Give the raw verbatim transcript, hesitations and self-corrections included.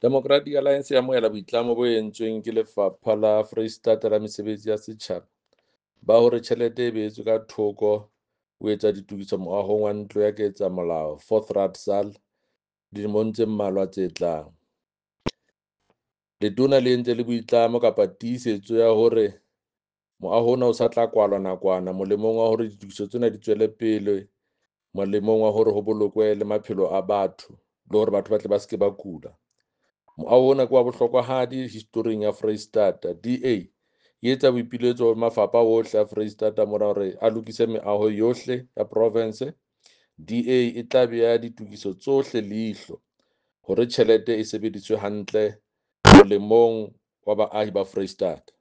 Democratic Alliance e amohela boitlamo bo entsweng ke Lefapha la Foreisetata la Mesebetsi ya Setjhaba ba hore tjhelete e beetswe ka thoko ho etsa ditokiso moahong wa Ntlo ya Ketsamolao, Fourth Raadsaal, dilemong tse mmalwa tse tlang. Letona le entse le boitlamo kapa tiisetso ya hore moaho ona o sa tla kwalwa nakwana molemong wa hore ditokiso tsena di tswele pele molemong wa hore ho bolokwe le maphelo a batho le hore batho ba tle ba se ke ba kula. Moaho ona ke wa bohlokwahadi historing ya Foreisetata. D A e etsa boipiletso ho mafapha ohle a Foreisetata mona hore a lokise meaho yohle ya provense. D A e tla bea ditokiso tsohle leihlo hore tjhelete e sebediswe hantle molemong wa baahi ba Foreisetata.